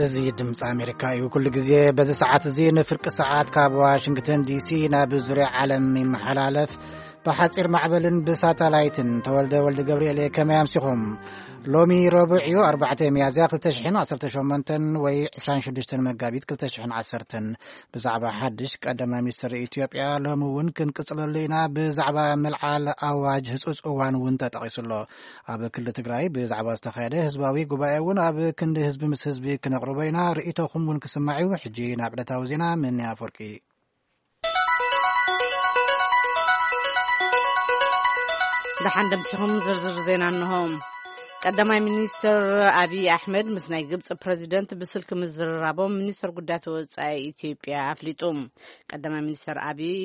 እዚ ድምፂ ኣሜሪካ እዩ። ኩሉ ግዜ በዚ ሰዓት እዚ ንፍርቂ ሰዓት ካብ ዋሽንግተን ዲሲ ናብ ዙርያ ዓለም ይመሓላለፍ። ብሓፂር ማዕበልን ብሳተላይትን። ተወልደ ወልደ ገብርኤል እየ። ከመይ ኣምሲኹም? ሎሚ ረቡዕ እዩ፣ ኣርባዕተ ሚያዝያ ክልተ ሽሕን ዓሰርተ ሸሞንተን ወይ ዕስራን ሽዱሽተን መጋቢት ክልተ ሽሕን ዓሰርተን። ብዛዕባ ሓድሽ ቀዳማይ ሚኒስትር ኢትዮጵያ ሎሚ እውን ክንቅፅለሉ ኢና። ብዛዕባ ምልዓል ኣዋጅ ህፁፅ እዋን እውን ተጠቒሱ ኣሎ። ኣብ ክልል ትግራይ ብዛዕባ ዝተኻየደ ህዝባዊ ጉባኤ እውን ኣብ ክንዲ ህዝቢ ምስ ህዝቢ ክነቕርቦ ኢና። ርእይቶኹም እውን ክስማዕ እዩ። ሕጂ ናብ ዕለታዊ ዜና። ምን ኣፈወርቂ። ደሓን ደምሲኹም ዝርዝር ዜና እንሆ። ቀዳማይ ሚኒስትር ኣብይ ኣሕመድ ምስ ናይ ግብፂ ፕረዚደንት ብስልኪ ምዝርራቦም ሚኒስትር ጉዳያት ወፃኢ ኢትዮጵያ ኣፍሊጡ። ቀዳማይ ሚኒስትር ኣብይ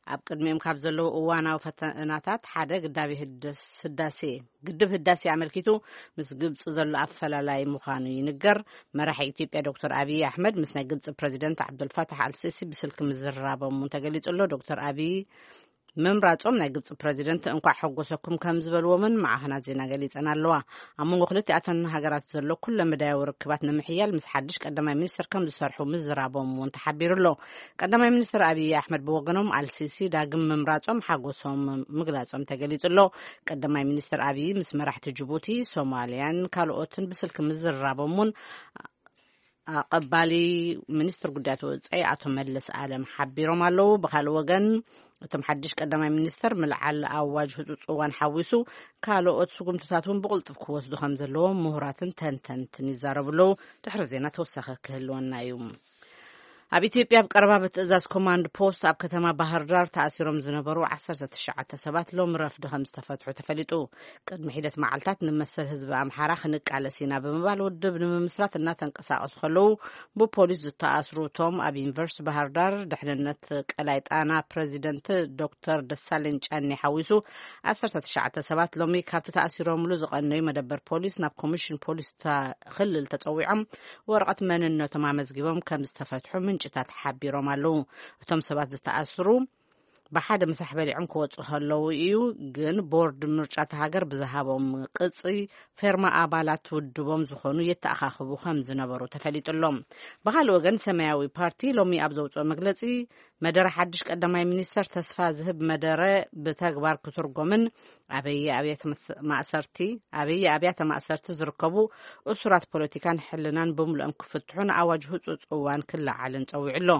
ኣብ ቅድሚኦም ካብ ዘለዉ እዋናዊ ፈተናታት ሓደ ግዳቢ ህደስ-፣ ህዳሴ፣ ግድብ ህዳሴ ኣመልኪቱ ምስ ግብፂ ዘሎ ኣፈላላይ ምዃኑ ይንገር። መራሒ ኢትዮጵያ ዶክተር ኣብይ ኣሕመድ ምስ ናይ ግብፂ ፕረዚደንት ዓብዱልፋታሕ ኣልሲሲ ብስልኪ ምዝርራቦም እውን ተገሊጹ ኣሎ። ዶክተር ኣብይ ምምራጾም ናይ ግብፂ ፕረዚደንት እንኳዕ ሓጎሰኩም ከም ዝበልዎምን ማዕኸናት ዜና ገሊጸን ኣለዋ። ኣብ መንጎ ክልቲኣተን ሃገራት ዘሎ ኩለ መዳያዊ ርክባት ንምሕያል ምስ ሓድሽ ቀዳማይ ሚኒስትር ከም ዝሰርሑ ምዝራቦም እውን ተሓቢሩ ኣሎ። ቀዳማይ ሚኒስትር ኣብይ ኣሕመድ ብወገኖም ኣልሲሲ ዳግም ምምራጾም ሓጎሶም ምግላጾም ተገሊጹ ኣሎ። ቀዳማይ ሚኒስትር ኣብይ ምስ መራሕቲ ጅቡቲ፣ ሶማልያን ካልኦትን ብስልኪ ምዝርራቦም እውን ኣቐባሊ ሚኒስትር ጉዳያት ወጻኢ ኣቶ መለስ ኣለም ሓቢሮም ኣለዉ። ብኻልእ ወገን፣ እቶም ሓድሽ ቀዳማይ ሚኒስተር ምልዓል ኣዋጅ ህጹጽ እዋን ሓዊሱ ካልኦት ስጉምትታት እውን ብቕልጡፍ ክወስዱ ከም ዘለዎም ምሁራትን ተንተንትን ይዛረቡ ኣለዉ። ድሕሪ ዜና ተወሳኺ ክህልወና እዩ። ኣብ ኢትዮጵያ ኣብ ቀረባ ብትእዛዝ ኮማንድ ፖስት ኣብ ከተማ ባህር ዳር ተኣሲሮም ዝነበሩ ዓሰርተ ትሽዓተ ሰባት ሎሚ ረፍዲ ከም ዝተፈትሑ ተፈሊጡ። ቅድሚ ሒደት መዓልታት ንመሰል ህዝቢ ኣምሓራ ክንቃለስ ኢና ብምባል ውድብ ንምምስራት እናተንቀሳቐሱ ከለዉ ብፖሊስ ዝተኣስሩ እቶም ኣብ ዩኒቨርሲቲ ባህር ዳር ድሕንነት ቀላይ ጣና ፕረዚደንት ዶክተር ደሳለኝ ጫኔ ሓዊሱ ዓሰርተ ትሽዓተ ሰባት ሎሚ ካብቲ ተኣሲሮምሉ ዝቐነዩ መደበር ፖሊስ ናብ ኮሚሽን ፖሊስ እታ ክልል ተጸዊዖም ወረቐት መንነቶም ኣመዝጊቦም ከም ዝተፈትሑ ምንጭታት ሓቢሮም ኣለዉ። እቶም ሰባት ዝተኣስሩ ብሓደ ምሳሕ በሊዖም ክወጹ ከለዉ እዩ። ግን ቦርድ ምርጫ እታ ሃገር ብዝሃቦም ቅጺ ፌርማ ኣባላት ውድቦም ዝኾኑ የተኣኻኽቡ ከም ዝነበሩ ተፈሊጡ ኣሎ። ብኻልእ ወገን ሰማያዊ ፓርቲ ሎሚ ኣብ ዘውፅኦ መግለጺ መደረ ሓድሽ ቀዳማይ ሚኒስተር ተስፋ ዝህብ መደረ ብተግባር ክትርጎምን ኣበየ ኣብያተ መስ-፣ ማእሰርቲ ኣበየ ኣብያተ ማእሰርቲ ዝርከቡ እሱራት ፖለቲካን ሕልናን ብምልኦም ክፍትሑን ኣዋጅ ህጹጽ እዋን ክለዓልን ጸዊዑ ኣሎ።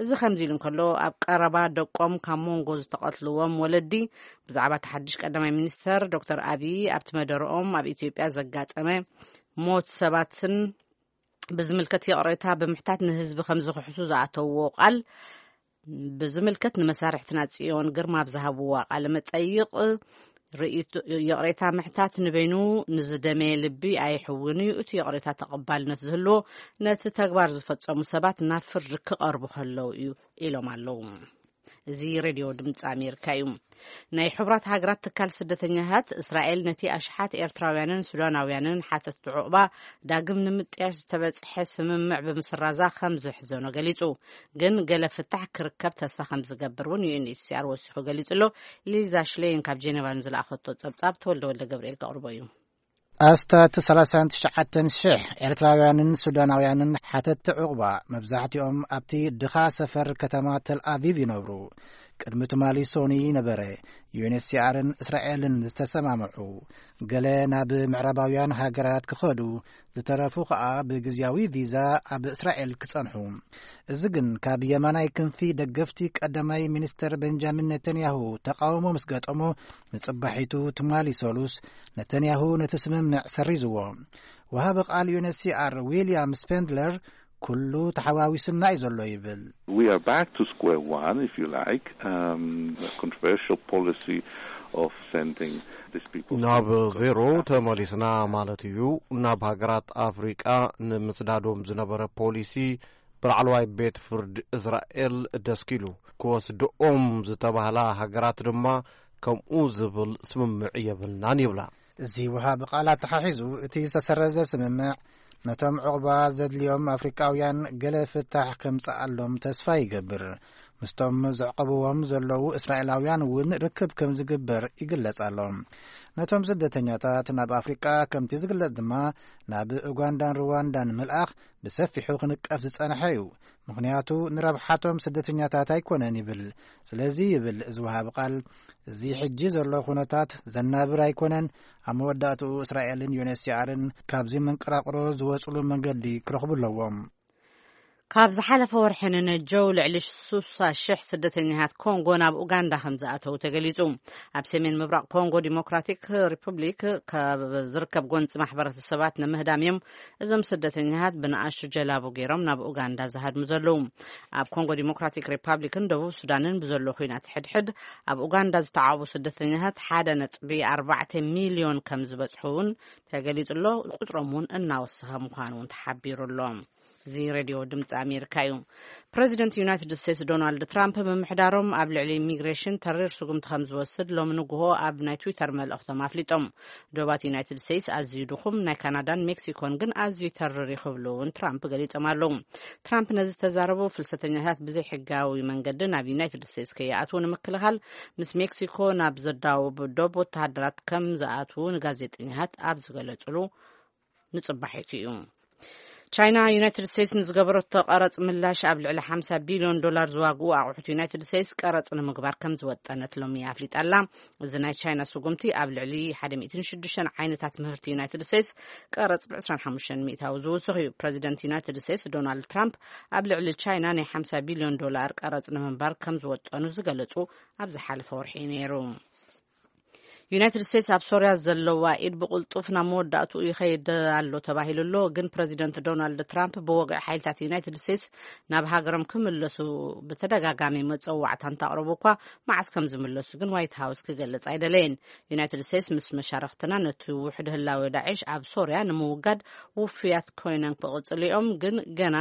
እዚ ከምዚ ኢሉ እንከሎ ኣብ ቀረባ ደቆም ካብ መንጎ ዝተቐትልዎም ወለዲ ብዛዕባ እቲ ሓድሽ ቀዳማይ ሚኒስተር ዶክተር ኣብይ ኣብቲ መደረኦም ኣብ ኢትዮጵያ ዘጋጠመ ሞት ሰባትን ብዝምልከት ይቕሬታ ብምሕታት ንህዝቢ ከም ዝኽሕሱ ዝኣተውዎ ቃል ብዝምልከት ንመሳርሕትና ጽዮን ግርማ ኣብ ዝሃብዋ ቃለ መጠይቕ ርእይቶ-፣ ይቕሬታ ምሕታት ንበይኑ ንዝደመየ ልቢ ኣይሕውን እዩ። እቲ ይቕሬታ ተቐባልነት ዝህልዎ ነቲ ተግባር ዝፈጸሙ ሰባት ናብ ፍርዲ ክቐርቡ ከለዉ እዩ ኢሎም ኣለዉ። እዚ ሬድዮ ድምፂ ኣሜሪካ እዩ። ናይ ሕቡራት ሃገራት ትካል ስደተኛታት እስራኤል ነቲ ኣሽሓት ኤርትራውያንን ሱዳናውያንን ሓተትቲ ዑቕባ ዳግም ንምጥያሽ ዝተበጽሐ ስምምዕ ብምስራዛ ከም ዝሕዘኖ ገሊጹ። ግን ገለ ፍታሕ ክርከብ ተስፋ ከም ዝገብር እውን ዩ ኤን ኤች ሲ ኣር ወሲኹ ገሊጹ ኣሎ። ሊዛ ሽሌን ካብ ጄኔቫ ንዝለኣኸቶ ጸብጻብ ተወልደ ወልደ ገብርኤል ከቕርቦ እዩ። ኣስታት ሰላሳን ትሽዓተን ሽሕ ኤርትራውያንን ሱዳናውያንን ሓተትቲ ዑቕባ፣ መብዛሕትኦም ኣብቲ ድኻ ሰፈር ከተማ ተል ኣቪቭ ይነብሩ። ቅድሚ ትማሊ ሶኒ ነበረ ዩ ኤን ኤች ሲ ኣርን እስራኤልን ዝተሰማምዑ። ገለ ናብ ምዕራባውያን ሃገራት ክኸዱ፣ ዝተረፉ ከኣ ብግዝያዊ ቪዛ ኣብ እስራኤል ክጸንሑ። እዚ ግን ካብ የማናይ ክንፊ ደገፍቲ ቀዳማይ ሚኒስተር ቤንጃሚን ኔታንያሁ ተቃውሞ ምስ ገጠሞ፣ ንጽባሒቱ ትማሊ ሰሉስ ነተንያሁ ነቲ ስምምዕ ሰሪዝዎ። ወሃቢ ቃል ዩ ኤን ኤች ሲ ኣር ዊልያም ስፔንድለር፣ "ኩሉ ተሓዋዊሱና እዩ ዘሎ" ይብል። We are back to square one, if you like, um, the controversial policy of sending these people ናብ to ዜሮ Africa. ተመሊስና ማለት እዩ። ናብ ሃገራት ኣፍሪቃ ንምስዳዶም ዝነበረ ፖሊሲ ብላዕለዋይ ቤት ፍርዲ እስራኤል ደስኪሉ። ክወስድኦም ዝተባህላ ሃገራት ድማ ከምኡ ዝብል ስምምዕ የብልናን ይብላ። እዚ ወሃቢ ቃል ኣተሓሒዙ፣ እቲ ዝተሰረዘ ስምምዕ ነቶም ዕቑባ ዘድልዮም ኣፍሪቃውያን ገለ ፍታሕ ከምጽኣሎም ተስፋ ይገብር። ምስቶም ዘዕቆብዎም ዘለዉ እስራኤላውያን እውን ርክብ ከም ዝግበር ይግለጽ ኣሎ። ነቶም ስደተኛታት ናብ ኣፍሪቃ ከምቲ ዝግለጽ ድማ ናብ ኡጋንዳን ሩዋንዳን ምልኣኽ ብሰፊሑ ክንቀፍ ዝጸንሐ እዩ። ምኽንያቱ ንረብሓቶም ስደተኛታት ኣይኮነን ይብል። ስለዚ ይብል እዚ ወሃቢ ቃል፣ እዚ ሕጂ ዘሎ ኩነታት ዘናብር ኣይኮነን። ኣብ መወዳእትኡ እስራኤልን ዩኤንኤችሲኣርን ካብዚ መንቀራቕሮ ዝወጽሉ መንገዲ ክረኽቡ ኣለዎም። ካብ ዝሓለፈ ወርሒ ንነጀው ልዕሊ ስሳ ሽሕ ስደተኛታት ኮንጎ ናብ ኡጋንዳ ከም ዝኣተው ተገሊጹ። ኣብ ሰሜን ምብራቕ ኮንጎ ዲሞክራቲክ ሪፑብሊክ ካብ ዝርከብ ጎንፂ ማሕበረተሰባት ንምህዳም እዮም እዞም ስደተኛታት ብንኣሽቱ ጀላቡ ገይሮም ናብ ኡጋንዳ ዝሃድሙ ዘለዉ። ኣብ ኮንጎ ዲሞክራቲክ ሪፓብሊክን ደቡብ ሱዳንን ብዘሎ ኲናት ሕድሕድ ኣብ ኡጋንዳ ዝተዓቑቡ ስደተኛታት ሓደ ነጥቢ ኣርባዕተ ሚልዮን ከም ዝበጽሑ እውን ተገሊጹ ኣሎ። ቁጽሮም እውን እናወሰኸ ምዃኑ እውን ተሓቢሩ ኣሎ። እዚ ሬድዮ ድምፂ ኣሜሪካ እዩ። ፕረዚደንት ዩናይትድ ስቴትስ ዶናልድ ትራምፕ ምምሕዳሮም ኣብ ልዕሊ ኢሚግሬሽን ተሪር ስጉምቲ ከም ዝወስድ ሎሚ ንግሆ ኣብ ናይ ትዊተር መልእኽቶም ኣፍሊጦም። ዶባት ዩናይትድ ስቴትስ ኣዝዩ ድኹም፣ ናይ ካናዳን ሜክሲኮን ግን ኣዝዩ ተሪር እዩ ክብሉ እውን ትራምፕ ገሊጾም ኣለዉ። ትራምፕ ነዚ ዝተዛረቡ ፍልሰተኛታት ብዘይሕጋዊ መንገዲ ናብ ዩናይትድ ስቴትስ ከይኣትዉ ንምክልኻል ምስ ሜክሲኮ ናብ ዘዳውብ ዶብ ወተሃደራት ከም ዝኣትዉ ንጋዜጠኛታት ኣብ ዝገለጹሉ ንጽባሒቱ እዩ። ቻይና ዩናይትድ ስቴትስ ንዝገበረቶ ቀረጽ ምላሽ ኣብ ልዕሊ ሓምሳ ቢልዮን ዶላር ዝዋግኡ ኣቑሑት ዩናይትድ ስቴትስ ቀረጽ ንምግባር ከም ዝወጠነት ሎሚ ኣፍሊጣ ኣላ። እዚ ናይ ቻይና ስጉምቲ ኣብ ልዕሊ ሓደ ሚእትን ሽዱሽተን ዓይነታት ምህርቲ ዩናይትድ ስቴትስ ቀረጽ ብ ዕስራን ሓሙሽተን ሚእታዊ ዝውስኽ እዩ። ፕረዚደንት ዩናይትድ ስቴትስ ዶናልድ ትራምፕ ኣብ ልዕሊ ቻይና ናይ ሓምሳ ቢልዮን ዶላር ቀረጽ ንምንባር ከም ዝወጠኑ ዝገለጹ ኣብ ዝሓለፈ ወርሒ እዩ ነይሩ። ዩናይትድ ስቴትስ ኣብ ሶርያ ዘለዋ ኢድ ብቕልጡፍ ናብ መወዳእትኡ ይኸይድ ኣሎ ተባሂሉ ኣሎ። ግን ፕረዚደንት ዶናልድ ትራምፕ ብወግዒ ሓይልታት ዩናይትድ ስቴትስ ናብ ሃገሮም ክምለሱ ብተደጋጋሚ መጸዋዕታ እንተቕረቡ እኳ፣ መዓስ ከም ዝምለሱ ግን ዋይት ሃውስ ክገልጽ ኣይደለየን። ዩናይትድ ስቴትስ ምስ መሻርኽትና ነቲ ውሕድ ህላወ ዳዕሽ ኣብ ሶርያ ንምውጋድ ውፉያት ኮይኖም ክቕጽሉ እዮም፣ ግን ገና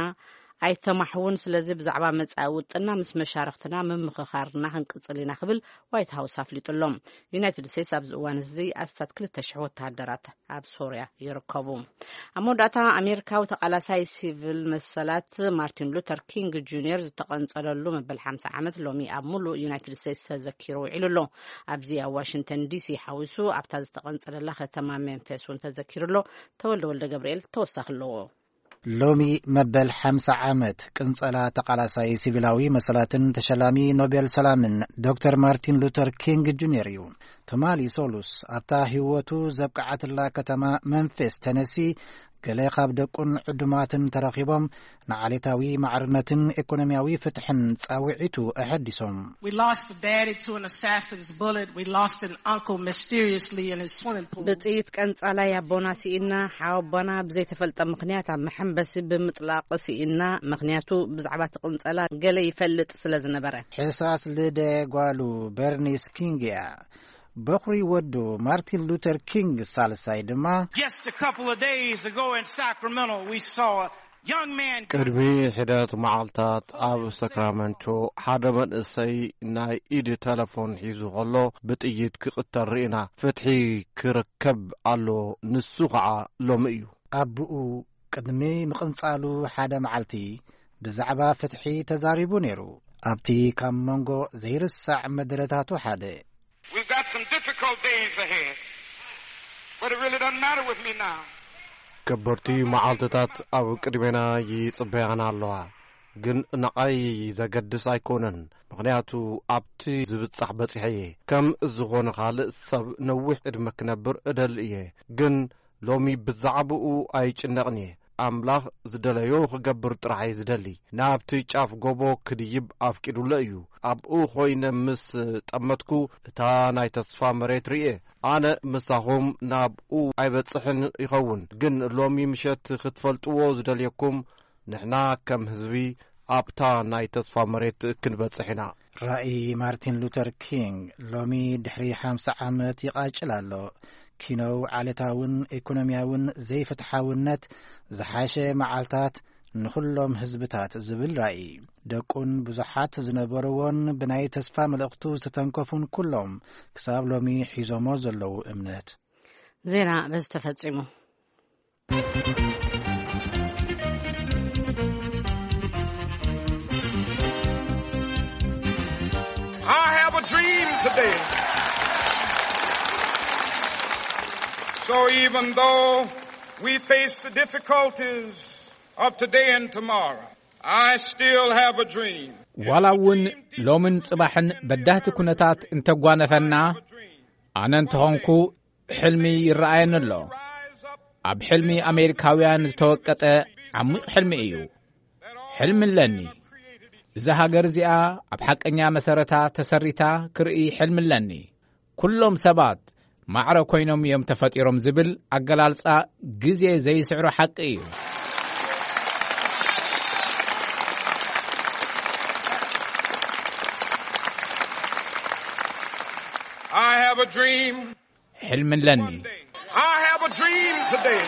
ኣይተማሕውን። ስለዚ ብዛዕባ መጻኢ ውጥና ምስ መሻርኽትና ምምኽኻርና ክንቅጽል ኢና ክብል ዋይት ሃውስ ኣፍሊጡ ኣሎ። ዩናይትድ ስቴትስ ኣብዚ እዋን እዚ ኣስታት ክልተ ሽሕ ወተሃደራት ኣብ ሶርያ ይርከቡ። ኣብ መወዳእታ ኣሜሪካዊ ተቓላሳይ ሲቪል መሰላት ማርቲን ሉተር ኪንግ ጁኒየር ዝተቐንጸለሉ መበል ሓምሳ ዓመት ሎሚ ኣብ ሙሉእ ዩናይትድ ስቴትስ ተዘኪሩ ውዒሉ ኣሎ። ኣብዚ ኣብ ዋሽንግተን ዲሲ ሓዊሱ ኣብታ ዝተቐንጸለላ ከተማ ሜምፊስ እውን ተዘኪሩ ኣሎ። ተወልደ ወልደ ገብርኤል ተወሳኺ ኣለዎ። ሎሚ መበል ሓምሳ ዓመት ቅንጸላ ተቓላሳይ ሲቪላዊ መሰላትን ተሸላሚ ኖቤል ሰላምን ዶክተር ማርቲን ሉተር ኪንግ ጁኒየር እዩ። ትማሊ ሶሉስ ኣብታ ህይወቱ ዘብቅዓትላ ከተማ መንፌስ ተነሲ፣ ገለ ካብ ደቁን ዕዱማትን ተረኺቦም ንዓሌታዊ ማዕርነትን ኢኮኖሚያዊ ፍትሕን ጻውዒቱ ኣሐዲሶም። We lost a daddy to an assassin's bullet. We lost an uncle mysteriously in his swimming pool. ብጥይት ቀንጻላይ ኣቦና ስኢና፣ ሓወቦና ብዘይተፈልጠ ምኽንያት ኣብ መሐንበሲ ብምጥላቕ ስኢና፣ ምኽንያቱ ብዛዕባ እቲ ቅንጸላ ገለ ይፈልጥ ስለ ዝነበረ። ሕሳስ ልደ ጓሉ በርኒስ ኪንግ እያ። በኹሪ ወዱ ማርቲን ሉተር ኪንግ ሳልሳይ ድማ Just a couple of days ago in Sacramento, we saw a young man ቅድሚ ሕደት መዓልታት ኣብ ሰክራመንቶ ሓደ መንእሰይ ናይ ኢድ ተለፎን ሒዙ ከሎ ብጥይት ክቕተል ርኢና። ፍትሒ ክርከብ ኣሎ፣ ንሱ ኸዓ ሎሚ እዩ። ኣቦኡ ቅድሚ ምቕንጻሉ ሓደ መዓልቲ ብዛዕባ ፍትሒ ተዛሪቡ ነይሩ። ኣብቲ ካብ መንጎ ዘይርሳዕ መደረታቱ ሓደ We've got some difficult days ahead, but it really doesn't matter with me now. ከበድቲ መዓልትታት ኣብ ቅድሜና ይጽበያና ኣለዋ፣ ግን ንዓይ ዘገድስ ኣይኮነን፣ ምኽንያቱ ኣብቲ ዝብጻሕ በጺሐ እየ። ከም ዝኾነ ካልእ ሰብ ነዊሕ ዕድመ ክነብር እደሊ እየ፣ ግን ሎሚ ብዛዕባኡ ኣይጭነቕን እየ። ኣምላኽ ዝደለዮ ክገብር ጥራሕ እየ ዝደሊ። ናብቲ ጫፍ ጎቦ ክድይብ ኣፍቂዱለ እዩ። ኣብኡ ኮይነ ምስ ጠመትኩ፣ እታ ናይ ተስፋ መሬት ርእየ። ኣነ ምሳኹም ናብኡ ኣይበጽሕን ይኸውን፣ ግን ሎሚ ምሸት ክትፈልጥዎ ዝደልየኩም፣ ንሕና ከም ህዝቢ ኣብታ ናይ ተስፋ መሬት ክንበጽሕ ኢና። ራእይ ማርቲን ሉተር ኪንግ ሎሚ ድሕሪ ሓምሳ ዓመት ይቓጭል ኣሎ። ኪኖው ዓሌታውን ኢኮኖሚያውን ዘይፍትሓውነት፣ ዝሓሸ መዓልታት ንኹሎም ህዝብታት ዝብል ራእይ፣ ደቁን ብዙሓት ዝነበርዎን ብናይ ተስፋ መልእኽቱ ዝተተንከፉን ኩሎም ክሳብ ሎሚ ሒዞሞ ዘለዉ እምነት። ዜና በዚ ተፈጺሙ። Dream today. So even though we face the difficulties of today and tomorrow, I still have a dream. ዋላ እውን ሎምን ጽባሕን በዳህቲ ኩነታት እንተጓነፈና፣ ኣነ እንተኾንኩ ሕልሚ ይረኣየኒ ኣሎ። ኣብ ሕልሚ ኣሜሪካውያን ዝተወቀጠ ዓሚቕ ሕልሚ እዩ። ሕልሚ ኣለኒ። እዛ ሃገር እዚኣ ኣብ ሓቀኛ መሰረታ ተሰሪታ ክርኢ ሕልሚ ኣለኒ። ኩሎም ሰባት ማዕረ ኮይኖም እዮም ተፈጢሮም ዝብል ኣገላልጻ ግዜ ዘይስዕሮ ሓቂ እዩ። I have a dream. ሕልሚ ኣለኒ። I have a dream today.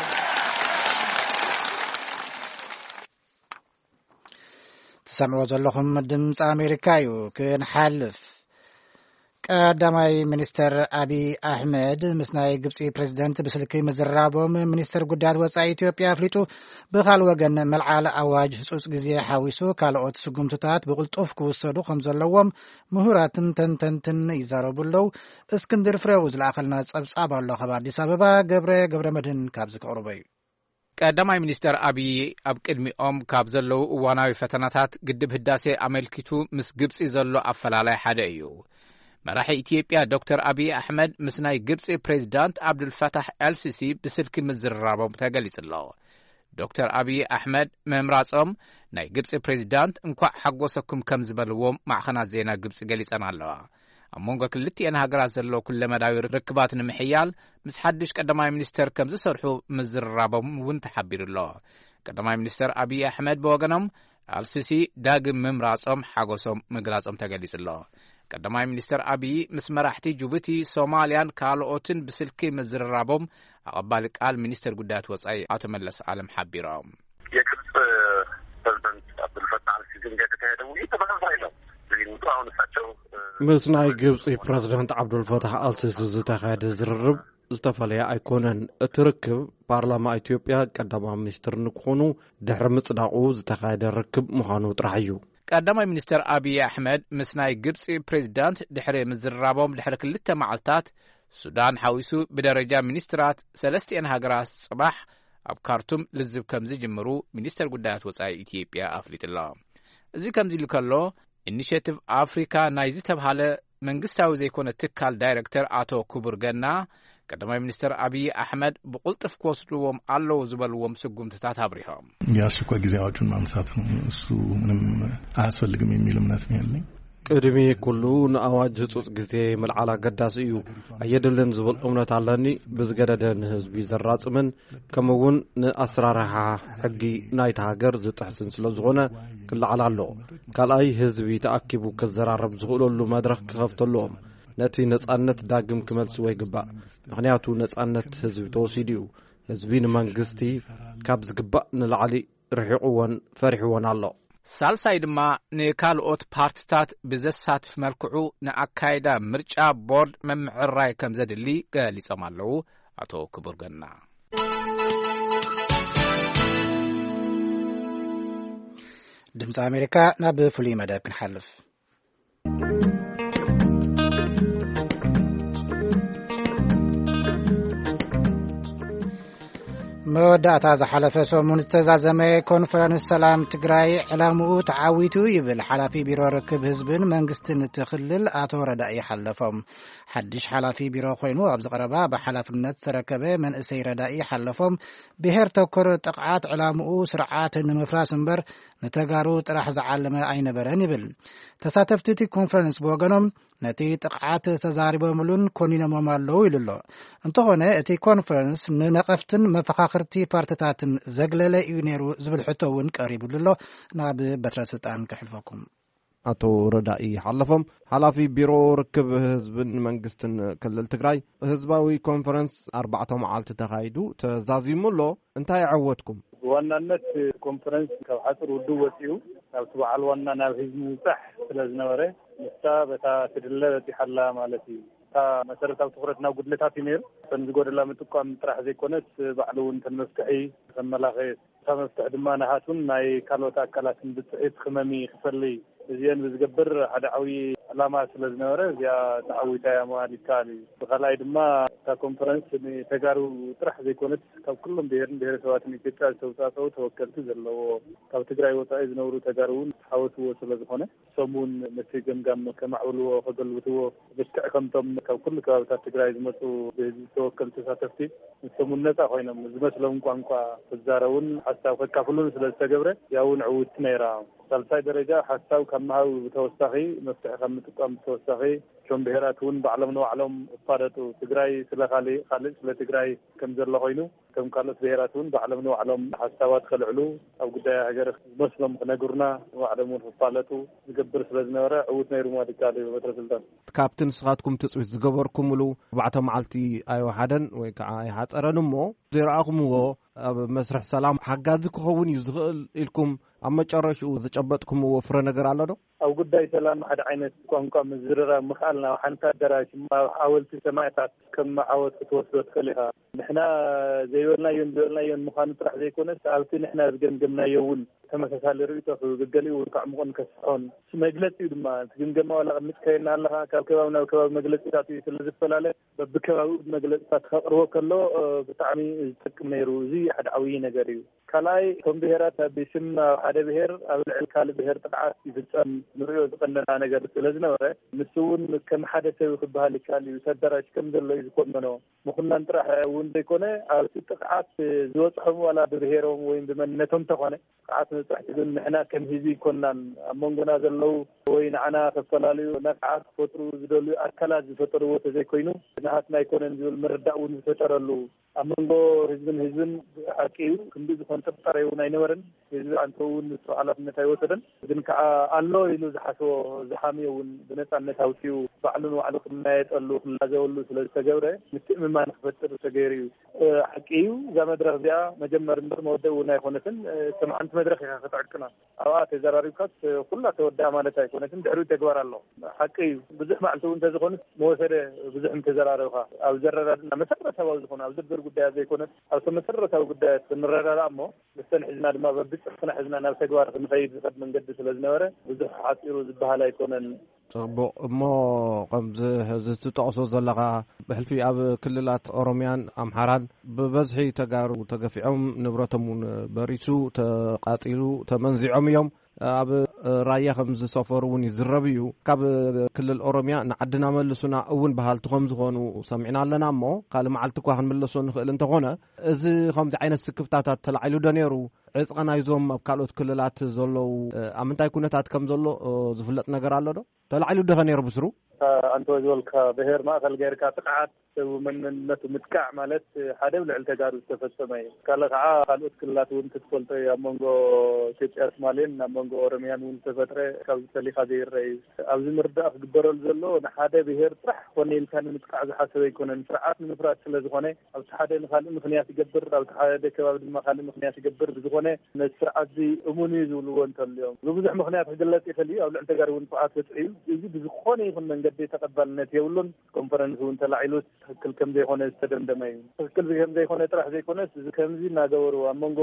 ትሰምዕዎ ዘለኹም ድምፂ ኣሜሪካ እዩ። ክንሓልፍ፣ ቀዳማይ ሚኒስተር ኣብይ ኣሕመድ ምስ ናይ ግብፂ ፕሬዚደንት ብስልኪ ምዝራቦም ሚኒስተር ጉዳያት ወፃኢ ኢትዮጵያ ኣፍሊጡ። ብኻል ወገን፣ መልዓል ኣዋጅ ህፁፅ ግዜ ሓዊሱ ካልኦት ስጉምትታት ብቕልጡፍ ክውሰዱ ከም ዘለዎም ምሁራትን ተንተንትን ይዛረቡ ኣለዉ። እስክንድር ፍሬው ዝለኣኸልና ጸብጻብ ኣሎ። ካብ ኣዲስ ኣበባ ገብረ ገብረ መድህን ካብዚ ከቕርቦ እዩ። ቀዳማይ ሚኒስተር ኣብዪ ኣብ ቅድሚኦም ካብ ዘለዉ እዋናዊ ፈተናታት ግድብ ህዳሴ ኣመልኪቱ ምስ ግብጺ ዘሎ ኣፈላላይ ሓደ እዩ። መራሒ ኢትዮጵያ ዶክተር ኣብዪ ኣሕመድ ምስ ናይ ግብጺ ፕሬዚዳንት ኣብዱልፈታሕ ኤልሲሲ ብስልኪ ምዝርራቦም ተገሊጹ ኣሎ። ዶክተር ኣብዪ ኣሕመድ ምምራጾም ናይ ግብጺ ፕሬዚዳንት እንኳዕ ሓጎሰኩም ከም ዝበልዎም ማዕኸናት ዜና ግብጺ ገሊጸን ኣለዋ። ኣብ መንጎ ክልቲኤን ሃገራት ዘሎ ኩለመዳዊ ርክባት ንምሕያል ምስ ሓድሽ ቀዳማይ ሚኒስተር ከም ዝሰርሑ ምዝርራቦም እውን ተሓቢሩ ኣሎ። ቀዳማይ ሚኒስተር ኣብዪ ኣሕመድ ብወገኖም ኣልሲሲ ዳግም ምምራጾም ሓጎሶም ምግላጾም ተገሊጹ ኣሎ። ቀዳማይ ሚኒስተር ኣብዪ ምስ መራሕቲ ጅቡቲ፣ ሶማልያን ካልኦትን ብስልኪ ምዝርራቦም ኣቐባሊ ቃል ሚኒስተር ጉዳያት ወጻኢ ኣቶ መለስ ኣለም ሓቢሮም። የግብፅ ፕሬዚደንት አብዱልፈታህ አልሲሲን ጋር የተካሄደ ውይይት ተመሳሳይ ነው። ውይይቱ አሁን እሳቸው ምስ ናይ ግብፂ ፕሬዚደንት ዓብዱልፈታሕ ኣልሲሲ ዝተኻየደ ዝርርብ ዝተፈለየ ኣይኮነን። እቲ ርክብ ፓርላማ ኢትዮጵያ ቀዳማይ ሚኒስትር ንክኾኑ ድሕሪ ምፅዳቑ ዝተኻየደ ርክብ ምዃኑ ጥራሕ እዩ። ቀዳማይ ሚኒስትር ኣብዪ ኣሕመድ ምስ ናይ ግብፂ ፕሬዚዳንት ድሕሪ ምዝርራቦም ድሕሪ ክልተ መዓልታት ሱዳን ሓዊሱ ብደረጃ ሚኒስትራት ሰለስቲኤን ሃገራት ፅባሕ ኣብ ካርቱም ልዝብ ከም ዝጅምሩ ሚኒስተር ጉዳያት ወፃኢ ኢትዮጵያ ኣፍሊጡ ኣሎ። እዚ ከምዚ ኢሉ ከሎ፣ ኢኒሼቲቭ ኣፍሪካ ናይ ዝተብሃለ መንግስታዊ ዘይኮነ ትካል ዳይረክተር ኣቶ ክቡር ገና፣ ቀዳማይ ሚኒስተር ኣብዪ ኣሕመድ ብቕልጡፍ ክወስድዎም ኣለዉ ዝበልዎም ስጉምትታት ኣብሪሆም። የአስቸኳይ ጊዜ አዋጁን ማንሳት ነው። እሱ ምንም አያስፈልግም የሚል እምነት ነው ያለኝ። ቅድሚ ኩሉ ንኣዋጅ ህጹጽ ግዜ ምልዓል ኣገዳሲ እዩ። ኣየድልን ዝብል እምነት ኣለኒ። ብዝገደደ ንህዝቢ ዘራጽምን ከምኡ እውን ንኣሰራርሓ ሕጊ ናይታ ሃገር ዝጥሕስን ስለ ዝኾነ ክለዓል ኣለዎ። ካልኣይ፣ ህዝቢ ተኣኪቡ ክዘራረብ ዝኽእለሉ መድረኽ ክኸፍተሉ እዮም። ነቲ ነጻነት ዳግም ክመልስዎ ይግባእ። ምኽንያቱ ነጻነት ህዝቢ ተወሲዱ እዩ። ህዝቢ ንመንግስቲ ካብ ዝግባእ ንላዕሊ ርሒቑዎን ፈሪሕዎን ኣሎ። ሳልሳይ ድማ ንካልኦት ፓርትታት ብዘሳትፍ መልክዑ ንኣካይዳ ምርጫ ቦርድ ምምዕራይ ከም ዘድሊ ገሊጾም ኣለዉ ኣቶ ክቡር ገና። ድምፂ ኣሜሪካ፣ ናብ ፍሉይ መደብ ክንሓልፍ። መወዳእታ ዝሓለፈ ሰሙን ዝተዛዘመ ኮንፈረንስ ሰላም ትግራይ ዕላምኡ ተዓዊቱ ይብል ሓላፊ ቢሮ ርክብ ህዝብን መንግስትን እቲ ክልል ኣቶ ረዳኢ ሓለፎም። ሓድሽ ሓላፊ ቢሮ ኮይኑ ኣብዚ ቀረባ ብሓላፍነት ዝተረከበ መንእሰይ ረዳኢ ሓለፎም፣ ብሄር ተኮር ጥቕዓት ዕላምኡ ስርዓት ንምፍራስ እምበር ንተጋሩ ጥራሕ ዝዓለመ ኣይነበረን ይብል። ተሳተፍቲ እቲ ኮንፈረንስ ብወገኖም ነቲ ጥቕዓት ተዛሪቦምሉን ኮኒኖሞም ኣለዉ ኢሉ ኣሎ። እንተኾነ እቲ ኮንፈረንስ ንነቐፍትን መፈኻኽርቲ ፓርትታትን ዘግለለ እዩ ነይሩ ዝብል ሕቶ እውን ቀሪቡሉ ኣሎ። ናብ በትረ ስልጣን ከሕልፈኩም። ኣቶ ረዳኢ ሓለፎም፣ ሓላፊ ቢሮ ርክብ ህዝብን መንግስትን ክልል ትግራይ፣ ህዝባዊ ኮንፈረንስ ኣርባዕተ መዓልቲ ተኻይዱ ተዛዚሙ ኣሎ። እንታይ ኣዐወትኩም? ብዋናነት ኮንፈረንስ ካብ ሓፁር ውድብ ወፂኡ ናብቲ በዓል ዋና ናብ ህዝቢ ምብፃሕ ስለ ዝነበረ፣ ንሳ በታ ትድለ በፂሓ ኣላ ማለት እዩ። እታ መሰረታዊ ትኹረት ናብ ጉድለታት እዩ ነይሩ። እተን ዝጎደላ ምጥቋም ጥራሕ ዘይኮነስ፣ ባዕሉ እውን እተን መፍትሒ ከመላኸየት፣ እታ መፍትሒ ድማ ናሃቱን ናይ ካልኦት ኣካላትን ብፅሒት ክመሚ ክፈሊ እዚአን ብዝገብር ሓደ ዓብዪ ዕላማ ስለ ዝነበረ እዚኣ ተዓዊታ እያ ምባል ይከኣል እዩ። ብኻልኣይ ድማ እታ ኮንፈረንስ ንተጋሩ ጥራሕ ዘይኮነት ካብ ኩሎም ብሄርን ብሄረሰባትን ኢትዮጵያ ዝተውፃእፀው ተወከልቲ ዘለዎ ካብ ትግራይ ወፃኢ ዝነብሩ ተጋሩ እውን ተሓወስዎ ስለ ዝኾነ እሶም እውን ነቲ ገምጋም ከማዕብልዎ ከገልብትዎ ልክዕ ከምቶም ካብ ኩሉ ከባብታት ትግራይ ዝመፁ ብህዝቢ ዝተወከሉ ተሳተፍቲ ንሶም እውን ነፃ ኮይኖም ዝመስሎም ቋንቋ ክዛረቡን ሓሳብ ከካፍሉን ስለ ዝተገብረ እዚኣ እውን ዕውትቲ ነይራ። ሳልሳይ ደረጃ ሓሳብ ካብ ምሃብ ብተወሳኺ መፍትሒ ካብ ምጥቃም ብተወሳኺ እቶም ብሄራት እውን ባዕሎም ንባዕሎም እፋለጡ። ትግራይ ስለ ካልእ ካልእ ስለ ትግራይ ከም ዘሎ ኮይኑ እቶም ካልኦት ብሄራት እውን ባዕሎም ንባዕሎም ሓሳባት ከልዕሉ ኣብ ጉዳይ ሃገር ዝመስሎም ክነግሩና ንባዕሎም እውን ክፋለጡ ዝገብር ስለ ዝነበረ ዕውት ነይሩ ማለት ይከኣል እዩ። በትረ ስልጣን ካብቲ ንስኻትኩም ትፅቢት ዝገበርኩምሉ ኣርባዕተ መዓልቲ ኣይወሓደን ወይ ከዓ ኣይሓፀረን እሞ ዘይረኣኹምዎ ኣብ መስርሕ ሰላም ሓጋዚ ክኸውን እዩ ዝኽእል ኢልኩም ኣብ መጨረሽኡ ዝጨበጥኩምዎ ፍረ ነገር ኣሎ ዶ? ኣብ ጉዳይ ሰላም ሓደ ዓይነት ቋንቋ ምዝርራብ ምኽኣልና ኣብ ሓንቲ ኣዳራሽ ኣብ ሓወልቲ ሰማእታት ከም ዓወት ክትወስዶ ትኽእል ኢኻ። ንሕና ዘይበልናዮን ዝበልናዮን ምዃኑ ጥራሕ ዘይኮነስ ኣብቲ ንሕና ዝገምገምናዮ እውን ተመሳሳሊ ርእይቶ ክብገሊኡ እውን ከዕምቆን ከስፍሖን መግለፂ እዩ ድማ እቲ ግምገማ ዋላ ቅድሚ ትካየና ኣለኻ ካብ ከባቢ ናብ ከባቢ መግለፂታት እዩ ስለ ዝፈላለ በብከባቢኡ መግለፅታት ከቕርቦ ከሎ ብጣዕሚ ዝጠቅም ነይሩ። እዚ ሓደ ዓብዪ ነገር እዩ። ካልኣይ እቶም ብሄራት ኣብ ስም ኣብ ሓደ ብሄር ኣብ ልዕሊ ካልእ ብሄር ጥቕዓት ይፍፀም ንሪኦ ዝቐነና ነገር ስለ ዝነበረ ንሱ እውን ከም ሓደ ሰብ ክበሃል ይከኣል እዩ። ተደራጅ ከም ዘሎ እዩ ዝኮመኖ ምኩናን ጥራሕ እውን ዘይኮነ ኣብቲ ጥቕዓት ዝበፅሖም ዋላ ብብሄሮም ወይም ብመንነቶም ተኾነ ጥቕዓት መብፃሕቲ ግን ንሕና ከም ህዝቢ ይኮናን ኣብ መንጎና ዘለዉ ወይ ንዓና ከፈላለዩ ነቕዓት ክፈጥሩ ዝደልዩ ኣካላት ዝፈጠርዎ ተዘይኮይኑ ንሃትና ኣይኮነን ዝብል ምርዳእ እውን ዝፈጠረሉ ኣብ መንጎ ህዝብን ህዝብን ሓቂ እዩ። ክንዲ ዝኾን ጥርጣሬ እውን ኣይነበረን። ህዝቢ ኣንተ እውን ንሱ ሓላፍነት ኣይወሰደን። ግን ከዓ ኣሎ ኢሉ ዝሓስቦ ዝሓምዮ እውን ብነፃነት ኣውፅኡ ባዕሉ ንባዕሉ ክመያየጠሉ ክላዘበሉ ስለ ዝተገብረ ምትእምማን ክፈጥር ተገይሩ እዩ። ሓቂ እዩ። እዛ መድረክ እዚኣ መጀመሪ እምበር መወደኢ እውን ኣይኮነትን። ከም ሓንቲ መድረክ ኢካ ክትዕቅና ኣብኣ ተዘራሪብካስ ኩላ ተወድኣ ማለት ኣይኮነትን። ድሕሪኡ ተግባር ኣሎ። ሓቂ እዩ። ብዙሕ መዓልቲ እውን እንተዝኾንስ መወሰደ ብዙሕ እንተዘራረብካ ኣብ ዘረዳድና መሰረታዊ ዝኾነ ኣብ ዝርዝር ጉዳያት ዘይኮነስ ኣብቶም መሰረታዊ ጉዳያት ክንረዳዳ እሞ ምስተን ሒዝና ድማ በብፅሑፍና ሒዝና ናብ ተግባር ክንኸይድ ዝኸድ መንገዲ ስለ ዝነበረ ብዙሕ ሓፂሩ ዝበሃል ኣይኮነን። ፅቡቕ እሞ ከምዚ ዝትጠቕሶ ዘለኻ ብሕልፊ ኣብ ክልላት ኦሮምያን ኣምሓራን ብበዝሒ ተጋሩ ተገፊዖም ንብረቶም እውን በሪሱ ተቃፂሉ ተመንዚዖም እዮም። ኣብ ራያ ከም ዝሰፈሩ እውን ይዝረብ እዩ። ካብ ክልል ኦሮምያ ንዓድና መልሱና እውን በሃልቲ ከም ዝኾኑ ሰሚዕና ኣለና እሞ ካልእ መዓልቲ እኳ ክንምለሶ ንኽእል እንተኾነ እዚ ከምዚ ዓይነት ስክፍታታት ተላዒሉ ዶ ነይሩ? ዕፅቐ ናይዞም ኣብ ካልኦት ክልላት ዘለዉ ኣብ ምንታይ ኩነታት ከም ዘሎ ዝፍለጥ ነገር ኣሎ ዶ? ተላዒሉ ዶ ኸ ነይሩ ብስሩ? ኣንተ ዝበልካ ብሄር ማእኸል ገይርካ ጥቕዓት ሰብ መንነቱ ምጥቃዕ ማለት ሓደ ኣብ ልዕሊ ተጋሩ ዝተፈፀመ እዩ። ካልእ ከዓ ካልኦት ክልላት እውን ክትፈልጦ እዩ። ኣብ መንጎ ኢትዮጵያ ሶማሌን ኣብ መንጎ ኦሮሚያን እውን ዝተፈጥረ ካብዚ ፈሊኻ ዘይረአ እዩ። ኣብዚ ምርዳእ ክግበረሉ ዘለዎ ንሓደ ብሄር ጥራሕ ኮነ ኢልካ ንምጥቃዕ ዝሓሰበ ኣይኮነን። ስርዓት ንምፍራስ ስለ ዝኾነ ኣብቲ ሓደ ንካልእ ምክንያት ይገብር፣ ኣብቲ ሓደ ከባቢ ድማ ካልእ ምክንያት ይገብር። ብዝኾነ ነቲ ስርዓት እዚ እሙን እዩ ዝብልዎ እንተልዮም ብብዙሕ ምክንያት ክግለፅ ይኽእል እዩ። ኣብ ልዕሊ ተጋሩ እውን ጥቕዓት በፅሑ እዩ። እዚ ብዝኾነ ይኹን መንገዲ ተቐባልነት የብሉን። ኮንፈረንስ እውን ተላዒሉ ትኽክል ከም ዘይኮነ ዝተደምደመ እዩ። ትኽክል ከም ዘይኮነ ጥራሕ ዘይኮነስ እዚ ከምዚ እናገበሩ ኣብ መንጎ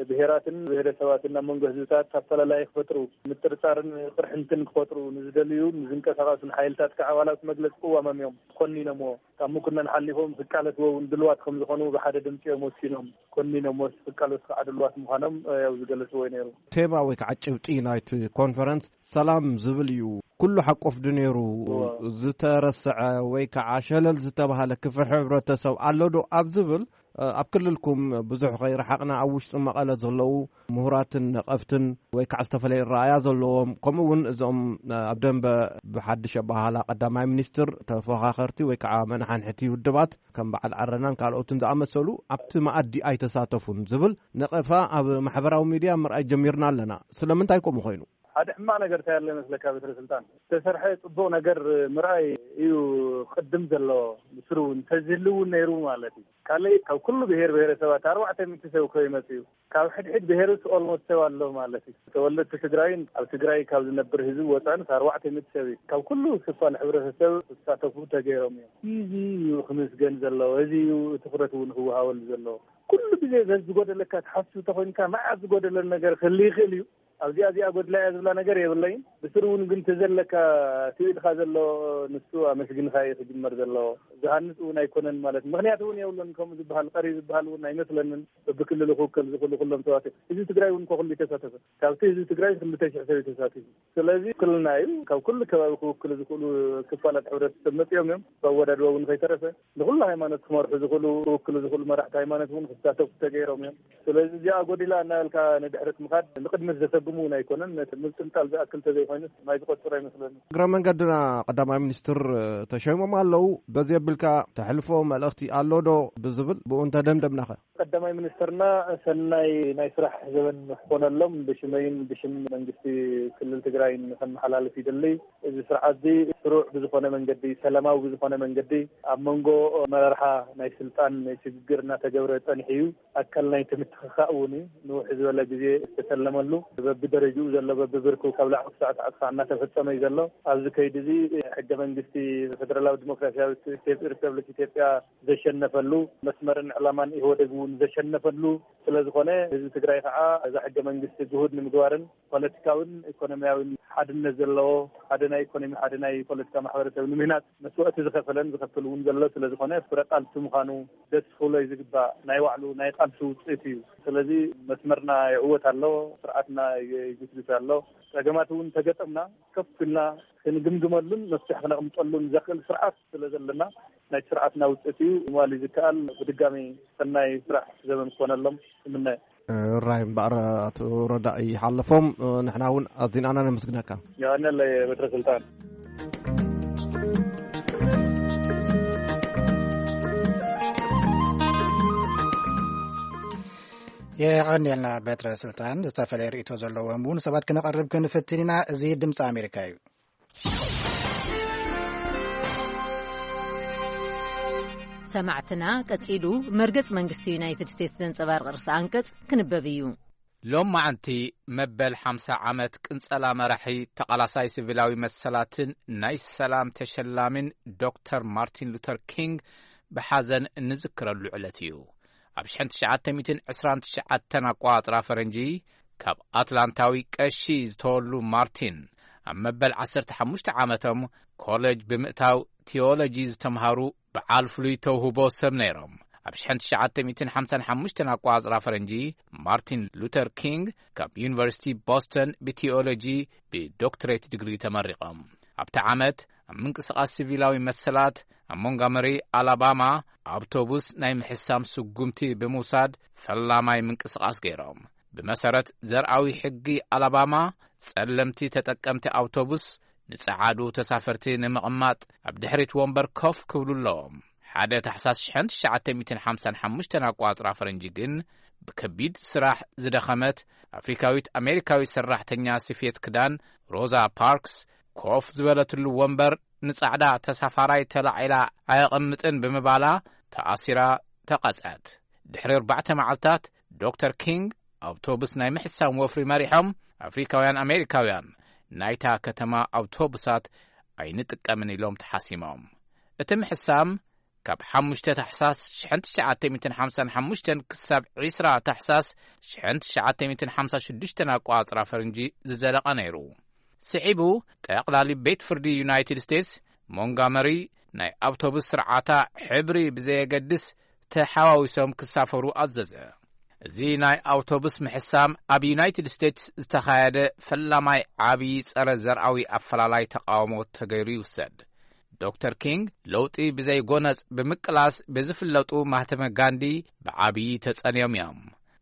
ብሄራትን ብሄረሰባትን ኣብ መንጎ ህዝብታት ኣፈላላይ ክፈጥሩ ምጥርጣርን ቅርሕንትን ክፈጥሩ ንዝደልዩ ንዝንቀሳቐሱን ሓይልታት ከዓ ኣባላት መግለፂ ቅዋሞም እዮም ኮኒኖምዎ። ካብ ምኩነን ሓሊፎም ክቃለስዎ እውን ድልዋት ከም ዝኾኑ ብሓደ ድምፂ እዮም ወሲኖም ኮኒኖምዎ። ክቃለሱ ከዓ ድልዋት ምዃኖም ያው ዝገለፅዎ እዩ ነይሩ። ቴማ ወይ ከዓ ጭብጢ ናይቲ ኮንፈረንስ ሰላም ዝብል እዩ። ኩሉ ሓቆፍ ዶ ነይሩ? እዎ። ዝተረስዐ ወይ ከዓ ሸለል ዝተባሃለ ክፍል ሕብረተሰብ ኣሎ ዶ ኣብ ዝብል ኣብ ክልልኩም ብዙሕ ከይረሓቕና ኣብ ውሽጢ መቐለ ዘለዉ ምሁራትን ነቐፍትን ወይ ከዓ ዝተፈላለየ ረኣያ ዘለዎም ከምኡ እውን እዞም ኣብ ደንበ ብሓድሽ ኣበሃህላ ቀዳማይ ሚኒስትር ተፎኻኸርቲ ወይ ከዓ መናሓንሕቲ ውድባት ከም በዓል ዓረናን ካልኦትን ዝኣመሰሉ ኣብቲ መኣዲ ኣይተሳተፉን ዝብል ነቐፋ ኣብ ማሕበራዊ ሚድያ ምርኣይ ጀሚርና ኣለና። ስለምንታይ ከምኡ ኮይኑ? ሓደ ሕማቕ ነገር እንታይ ኣሎ ይመስለካ በትረ ስልጣን? ዝተሰርሐ ጽቡቕ ነገር ምርኣይ እዩ ቅድም ዘለዎ። ብስሩ እውን እንተዝህሉ እውን ነይሩ ማለት እዩ። ካልእ ካብ ኩሉ ብሄር ብሄረሰባት ኣርባዕተ ሚእቲ ሰብ እኮ ይመጽእ እዩ። ካብ ሕድሕድ ብሄርስ ኦልሞስት ሰብ ኣሎ ማለት እዩ። ተወለድቲ ትግራይን ኣብ ትግራይ ካብ ዝነብር ህዝቢ ወፃንስ ኣርባዕተ ሚእቲ ሰብ እዩ። ካብ ኩሉ ክፋል ሕብረተሰብ ክሳተፉ ተገይሮም እዮም። እዚ እዩ ክምስገን ዘለዎ። እዚ እዩ ትኹረት እውን ክወሃበሉ ዘለዎ። ኩሉ ግዜ ዘዝጎደለካ ትሓስብ ተኾይንካ መዓት ዝጎደለን ነገር ክህሉ ይኽእል እዩ። ኣብዚኣ እዚኣ ጎድላ እያ ዝብላ ነገር የብለይን። ብስሩ እውን ግን እቲ ዘለካ እቲ ኢድካ ዘሎ ንሱ ኣመስግንካ እዩ ክጅመር ዘለዎ። ዝሃንፅ እውን ኣይኮነን ማለት ምክንያት እውን የብሉን። ከምኡ ዝበሃል ቀሪ ዝበሃል እውን ኣይመስለንን። በብክልሉ ክውከል ዝኽእሉ ኩሎም ተዋት እዚ ትግራይ እውን ከኩሉ ተሳተፈ። ካብቲ ህዝቢ ትግራይ ክልተ ሽሕ ሰብ ተሳቲፉ። ስለዚ ክልና እዩ ካብ ኩሉ ከባቢ ክውክሉ ዝኽእሉ ክፋላት ሕብረተሰብ መፅኦም እዮም። ብኣወዳድባ እውን ከይተረፈ ንኩሉ ሃይማኖት ክመርሑ ዝኽእሉ ክውክሉ ዝኽእሉ መራሕቲ ሃይማኖት እውን ክሳተፉ ተገይሮም እዮም። ስለዚ እዚኣ ጎዲላ እናበልካ ንድሕረት ምኻድ ንቅድሚት ዘሰጉም እውን ኣይኮነን። ነቲ ምጥልጣል ዝኣክል ተዘይኮይኑ ማይ ዝቆፅር ኣይመስለኒ። እግረ መንገድና ቀዳማይ ሚኒስትር ተሸይሞም ኣለዉ። በዚ ኣቢልካ ተሕልፎ መልእኽቲ ኣሎ ዶ ብዝብል ብኡ እንተደምደምናኸ? ቀዳማይ ሚኒስትርና ሰናይ ናይ ስራሕ ዘበን ክኾነሎም ብሽመይን ብሽም መንግስቲ ክልል ትግራይን ከመሓላልፍ ይደሊ። እዚ ስርዓት እዚ ስሩዕ ብዝኾነ መንገዲ፣ ሰላማዊ ብዝኾነ መንገዲ ኣብ መንጎ መራርሓ ናይ ስልጣን ሽግግር እናተገብረ ጸኒሑ እዩ። ኣካል ናይ ትምትኽኻእ እውን እዩ። ንውሕ ዝበለ ግዜ ዝተሰለመሉ በብደረጅኡ ዘሎ በብብርኩ ካብ ላዕሊ ክሳዕ ታሕቲ ከዓ እናተፈጸመ እዩ ዘሎ። ኣብዚ ከይዲ እዚ ሕገ መንግስቲ ፌደራላዊ ዲሞክራሲያዊት ኢትዮጵ- ሪፐብሊክ ኢትዮጵያ ዘሸነፈሉ መስመርን ዕላማን ኢህወደግ እውን ዘሸነፈሉ ስለ ዝኾነ ህዝቢ ትግራይ ከዓ እዛ ሕገ መንግስቲ ግሁድ ንምግባርን ፖለቲካውን ኢኮኖሚያውን ሓድነት ዘለዎ ሓደ ናይ ኢኮኖሚ ሓደ ናይ ፖለቲካ ማሕበረሰብ ንምህናፅ መስዋእቲ ዝኸፈለን ዝኸፍል እውን ዘሎ ስለ ዝኾነ ፍረ ቃልሲ ምዃኑ ደስ ክብሎ እዩ ዝግባእ። ናይ ባዕሉ ናይ ቃልሲ ውፅኢት እዩ። ስለዚ መስመርና ይዕወት ኣሎ፣ ስርዓትና ይግስግስ ኣሎ። ፀገማት እውን ተገጠምና ከፍ ኢልና ክንግምግመሉን መፍትሒ ክነቕምጠሉን ዘኽእል ስርዓት ስለ ዘለና ናይ ስርዓትና ውፅኢት እዩ ምባል እዩ ዝከኣል። ብድጋሚ ሰናይ ስራሕ ዘበን ክኾነሎም እምነ። ራይ እምበኣር ኣቶ ረዳኢ ሓለፎም ንሕና እውን ኣዚናና ነመስግነካ። የቐነለይ በትረ ስልጣን። የቐንየልና በትረ ስልጣን። ዝተፈላለየ ርእቶ ዘለዎም እውን ሰባት ክነቐርብ ክንፍትን ኢና። እዚ ድምፂ ኣሜሪካ እዩ። ሰማዕትና ቀጺሉ መርገጽ መንግስቲ ዩናይትድ ስቴትስ ዘንጸባርቕ ርእሰ ኣንቀጽ ክንበብ እዩ። ሎም መዓንቲ መበል ሓምሳ ዓመት ቅንጸላ መራሒ ተቓላሳይ ሲቪላዊ መሰላትን ናይ ሰላም ተሸላሚን ዶክተር ማርቲን ሉተር ኪንግ ብሓዘን እንዝክረሉ ዕለት እዩ። ኣብ ሽሕን ትሽዓተ ሚእትን ዕስራን ትሽዓተን ኣቋጽራ ፈረንጂ ካብ ኣትላንታዊ ቀሺ ዝተወሉ ማርቲን ኣብ መበል ዓሰርተ ሓሙሽተ ዓመቶም ኮለጅ ብምእታው ቲዮሎጂ ዝተምሃሩ በዓል ፍሉይ ተውህቦ ሰብ ነይሮም። ኣብ ሽሕን ትሽዓተ ሚእትን ሓምሳን ሓሙሽተን ኣቋጽራ ፈረንጂ ማርቲን ሉተር ኪንግ ካብ ዩኒቨርሲቲ ቦስተን ብቲዮሎጂ ብዶክትሬት ዲግሪ ተመሪቖም። ኣብቲ ዓመት ኣብ ምንቅስቓስ ሲቪላዊ መሰላት ኣብ ሞንጋመሪ ኣላባማ ኣውቶቡስ ናይ ምሕሳም ስጉምቲ ብምውሳድ ፈላማይ ምንቅስቓስ ገይሮም። ብመሰረት ዘርኣዊ ሕጊ ኣላባማ ጸለምቲ ተጠቀምቲ ኣውቶቡስ ንጸዓዱ ተሳፈርቲ ንምቕማጥ ኣብ ድሕሪት ወንበር ኮፍ ክብሉ ኣለዎም። ሓደ ታሕሳስ ሽሕን ትሽዓተ ሚእትን ሓምሳን ሓሙሽተን ኣቋጽራ ፈረንጂ ግን ብከቢድ ስራሕ ዝደኸመት ኣፍሪካዊት ኣሜሪካዊት ሰራሕተኛ ስፌት ክዳን ሮዛ ፓርክስ ኮፍ ዝበለትሉ ወንበር ንጻዕዳ ተሳፋራይ ተላዒላ ኣየቐምጥን ብምባላ ተኣሲራ ተቐጽዐት። ድሕሪ ኣርባዕተ መዓልታት ዶክተር ኪንግ ኣውቶቡስ ናይ ምሕሳም ወፍሪ መሪሖም ኣፍሪካውያን ኣሜሪካውያን ናይታ ከተማ ኣውቶቡሳት ኣይንጥቀምን ኢሎም ተሓሲሞም። እቲ ምሕሳም ካብ ሓሙሽተ ታሕሳስ ሽሕን ትሽዓተ ሚእትን ሓምሳን ሓሙሽተን ክሳብ ዒስራ ታሕሳስ ሽሕን ትሽዓተ ሚእትን ሓምሳ ሽዱሽተን ኣቋጽራ ፈረንጂ ዝዘለቐ ነይሩ። ስዒቡ ጠቕላሊ ቤት ፍርዲ ዩናይትድ ስቴትስ ሞንጋመሪ ናይ ኣውቶቡስ ስርዓታ ሕብሪ ብዘየገድስ ተሓዋዊሶም ክሳፈሩ ኣዘዘ። እዚ ናይ ኣውቶቡስ ምሕሳም ኣብ ዩናይትድ ስቴትስ ዝተኻየደ ፈላማይ ዓብዪ ጸረ ዘርኣዊ ኣፈላላይ ተቓውሞ ተገይሩ ይውሰድ። ዶክተር ኪንግ ለውጢ ብዘይ ጎነጽ ብምቅላስ ብዝፍለጡ ማህተመ ጋንዲ ብዓብዪ ተጸንዮም እዮም።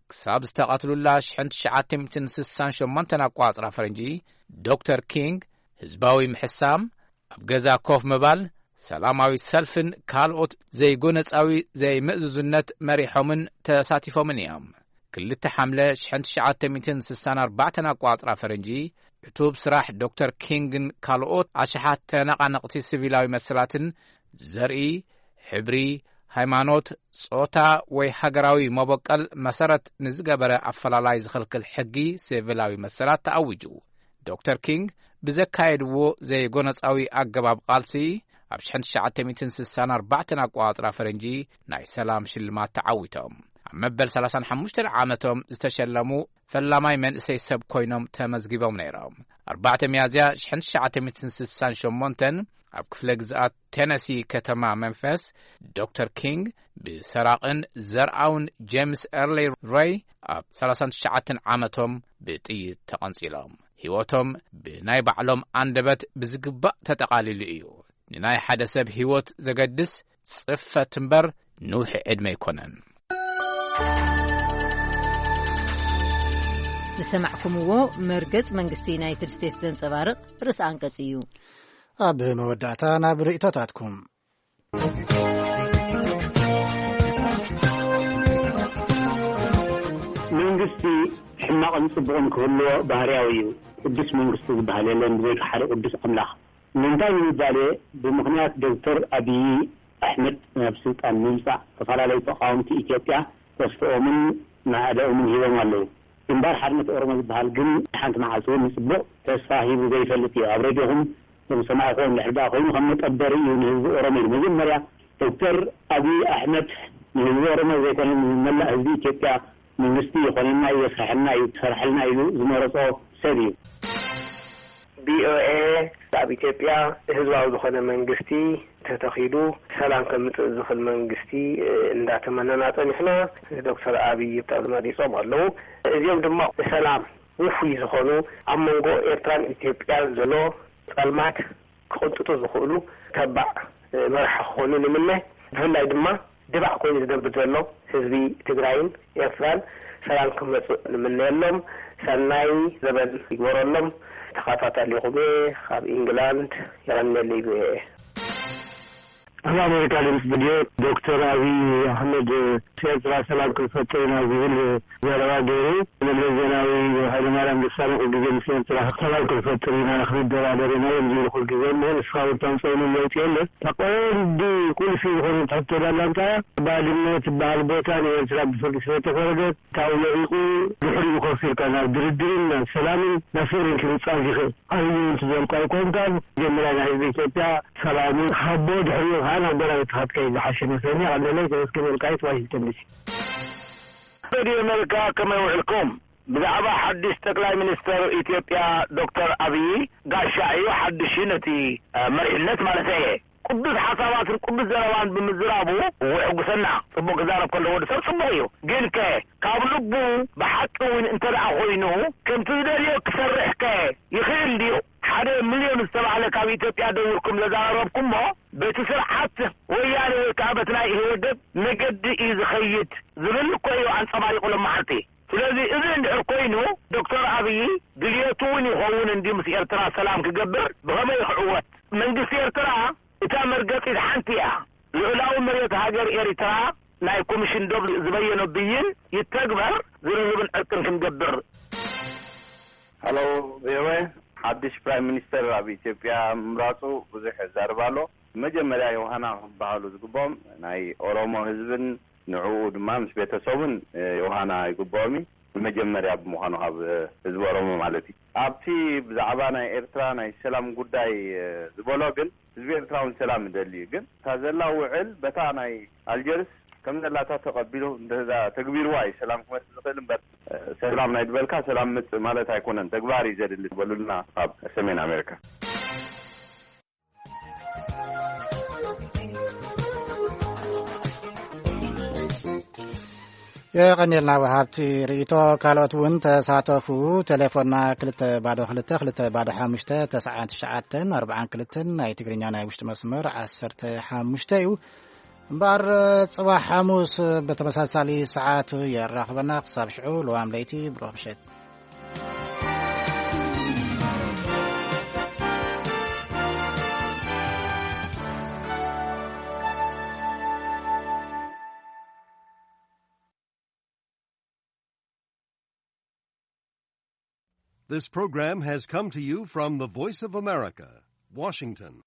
ክሳብ ዝተቐትሉላ ሽሕን ትሽዓተ ሚእትን ስሳን ሸሞንተን ኣቋጽራ ፈረንጂ ዶክተር ኪንግ ህዝባዊ ምሕሳም፣ ኣብ ገዛ ኮፍ ምባል፣ ሰላማዊ ሰልፍን ካልኦት ዘይጎነጻዊ ዘይምእዝዙነት መሪሖምን ተሳቲፎምን እዮም። ክልተ ሓምለ ሽሕን ትሽዓተ ሚእትን ስሳን ኣርባዕተን ኣቋጽራ ፈረንጂ ዕቱብ ስራሕ ዶክተር ኪንግን ካልኦት ኣሽሓት ተነቓነቕቲ ሲቪላዊ መሰላትን ዘርኢ፣ ሕብሪ፣ ሃይማኖት፣ ጾታ ወይ ሃገራዊ መበቀል መሰረት ንዝገበረ ኣፈላላይ ዝኽልክል ሕጊ ሲቪላዊ መሰላት ተኣዊጁ። ዶክተር ኪንግ ብዘካየድዎ ዘይጎነጻዊ ኣገባብ ቃልሲ ኣብ ሽሕን ትሽዓተ ሚእትን ስሳን ኣርባዕተን ኣቋጽራ ፈረንጂ ናይ ሰላም ሽልማት ተዓዊቶም። መበል ሰላሳን ሓሙሽተን ዓመቶም ዝተሸለሙ ፈላማይ መንእሰይ ሰብ ኮይኖም ተመዝጊቦም ነይሮም። ኣርባዕተ ሚያዝያ ሽሕን ትሽዓተ ሚእትን ስሳን ሸሞንተን ኣብ ክፍለ ግዝኣት ቴነሲ ከተማ መንፈስ ዶክተር ኪንግ ብሰራቕን ዘርኣውን ጄምስ ኤርሊ ሬይ ኣብ ሰላሳን ትሽዓተን ዓመቶም ብጥይት ተቐንጺሎም። ህይወቶም ብናይ ባዕሎም ኣንደበት ብዝግባእ ተጠቓሊሉ እዩ። ንናይ ሓደ ሰብ ህይወት ዘገድስ ጽፈት እምበር ንውሒ ዕድመ ኣይኮነን። ዝሰማዕኩምዎ መርገጽ መንግስቲ ዩናይትድ ስቴትስ ዘንጸባርቕ ርእሲ ኣንቀጽ እዩ። ኣብ መወዳእታ ናብ ርእይቶታትኩም። መንግስቲ ሕማቕን ጽቡቕን ክህልዎ ባህርያዊ እዩ። ቅዱስ መንግስቲ ዝበሃል የለን ብዘይካ ሓደ ቅዱስ ኣምላኽ። ንምንታይ ንምባል፣ ብምኽንያት ዶክተር ኣብዪ ኣሕመድ ናብ ስልጣን ንምምጻእ ዝተፈላለዩ ተቓወምቲ ኢትዮጵያ ተስፍኦምን ማዕደኦምን ሂቦም ኣለዉ። ግንባር ሓርነት ኦሮሞ ዝበሃል ግን ሓንቲ መዓልቲ እውን ንጽቡቕ ተስፋ ሂቡ ዘይፈልጥ እዩ። ኣብ ሬድዮኹም ከም ዝሰማዕኩዎ እንድሕር ደኣ ኮይኑ ከም መጠበሪ እዩ ንህዝቢ ኦሮሞ ኢሉ። መጀመርያ ዶክተር ኣብዪ ኣሕመድ ንህዝቢ ኦሮሞ ዘይኮነ ንመላእ ህዝቢ ኢትዮጵያ መንግስቲ ይኾነና እዩ፣ የስርሐልና እዩ፣ ይሰርሐልና ኢሉ ዝመረጾ ሰብ እዩ። ቪኦኤ ኣብ ኢትዮጵያ ህዝባዊ ዝኾነ መንግስቲ ተተኺሉ ሰላም ከምጽእ ዝኽእል መንግስቲ እንዳተመነና ጸኒሕና። ዶክተር ኣብይ ተመሪጾም ኣለዉ። እዚኦም ድማ ንሰላም ውፉይ ዝኾኑ፣ ኣብ መንጎ ኤርትራን ኢትዮጵያን ዘሎ ጸልማት ክቕንጥጡ ዝኽእሉ ተባዕ መራሒ ክኾኑ ንምነ። ብፍላይ ድማ ድባዕ ኮይኑ ዝነብር ዘሎ ህዝቢ ትግራይን ኤርትራን ሰላም ክመጽእ ንምነየሎም። ሰናይ ዘበን ይግበረሎም። ተኸታታሊኹም እየ ካብ ኢንግላንድ። የቐንየለይ ቪኦኤ። ኣብ ኣሜሪካ ድምፂ ሬድዮ ዶክተር ኣብይ ኣሕመድ ኤርትራ ሰላም ክንፈጥር ኢና ዝብል ዘረባ ገይሩ፣ መለስ ዜናዊ፣ ሃይለማርያም ደሳለኝ ኩሉ ግዜ ምስ ኤርትራ ሰላም ክንፈጥር ኢና፣ ክንደራደር ኢና እዮም ዝብሉ ኩሉ ግዜ። እሞ ንስኻ እውን ታምፅኦምን ለውጢ የለን። እታ ቀንዲ ቁልፊ ዝኾነት ሕቶ ዳላ እንታይ እያ? ባድመ ትበሃል ቦታ ንኤርትራ ብፍርዲ ስለተፈረደት ካብኡ ለቒቑ ድሕሪኡ ኮፍ ኢልካ ናብ ድርድርን ናብ ሰላምን ናብ ፍቕርን ክምፃእ ዝኽእል ዓብዪ እውን ትዘልቆ ኣይኮንካን። መጀመርያ ናይ ህዝቢ ኢትዮጵያ ሰላሙ ሃቦ፣ ድሕሪኡ ከዓ ናብ ጎረቤትካ ክትከይድ ዝሓሸ መስለኒ። ኣለለይ ተመስገን ወልቃይት፣ ዋሽንግተን ዲሲ። ሬድዮ ኣሜሪካ ከመይ ውዕልኩም? ብዛዕባ ሓድሽ ጠቅላይ ሚኒስተር ኢትዮጵያ ዶክተር ኣብዪ ጋሻ እዩ፣ ሓድሽ እዩ ነቲ፣ እ፣ መሪሕነት ማለት እየ። ቅዱስ ሓሳባትን ቅዱስ ዘረባን ብምዝራቡ እዎ የሕጉሰና። ጽቡቕ ክዛረብ ከሎ ወዲ ሰብ ጽቡቕ እዩ። ግን ከ ካብ ልቡ ብሓቂ እውን እንተ ደኣ ኮይኑ ከምቲ ዝደልዮ ክሰርሕ ከ ይኽእል ድዩ? ሓደ ሚልዮን ዝተባህለ ካብ ኢትዮጵያ ደዊርኩም ዘዛረብኩሞ በቲ ስርዓት ወያነ ወይ ከዓ በቲ ናይ ኢህወደግ መገዲ እዩ ዝኸይድ ዝብል እኮ እዩ ኣንጸባሪቑ ሎም መዓልቲ። ስለዚ እዚ እንድሕር ኮይኑ ዶክተር ኣብዪ ድልየቱ እውን ይኸውን እንድዩ ምስ ኤርትራ ሰላም ክገብር ብኸመይ ክዕወት? መንግስቲ ኤርትራ እታ መርገጺት ሓንቲ እያ። ልዑላዊ መሬት ሃገር ኤርትራ ናይ ኮሚሽን ዶብ ዝበየኖ ብይን ይተግበር፣ ዝርርብን ዕርቅን ክንገብር። ሃሎ ቪኦኤ፣ ሓድሽ ፕራይም ሚኒስተር ኣብ ኢትዮጵያ ምምራጹ ብዙሕ ይዛረብ ኣሎ። መጀመርያ ዮሃና ክበሃሉ ዝግብኦም ናይ ኦሮሞ ህዝብን ንዕኡ ድማ ምስ ቤተሰቡን፣ እ፣ ዮሃና ይግብኦም እዩ። መጀመርያ ብምዃኑ ካብ፣ እ፣ ህዝቢ ኦሮሞ ማለት እዩ። ኣብቲ ብዛዕባ ናይ ኤርትራ ናይ ሰላም ጉዳይ፣ እ፣ ዝበሎ ግን ህዝቢ ኤርትራ እውን ሰላም ይደሊ እዩ። ግን እታ ዘላ ውዕል በታ ናይ ኣልጀርስ ከም ዘላታ ተቐቢሉ እንተ ተግቢርዋ እዩ ሰላም ክመጽእ ዝኽእል እምበር፣ እ፣ ሰላም ናይ ዝበልካ ሰላም ምጽእ ማለት ኣይኮነን። ተግባር እዩ ዘድሊ በሉልና ካብ ሰሜን ኣሜሪካ። የቐንየልና ወሃብቲ ርእይቶ። ካልኦት እውን ተሳተፉ። ቴሌፎንና ክልተ ባዶ ክልተ፣ ክልተ ባዶ ሓሙሽተ፣ ተስዓን ትሽዓተን፣ ኣርባዓን ክልተን፣ ናይ ትግርኛ ናይ ውሽጢ መስመር ዓሰርተ ሓሙሽተ እዩ። እምበኣር፣ ጽባሕ ሓሙስ ብተመሳሳሊ ሰዓት የራኽበና። ክሳብ ሽዑ፣ ልዋም ለይቲ፣ ብሩኽ ምሸት። This program has come to you from the Voice of America, Washington.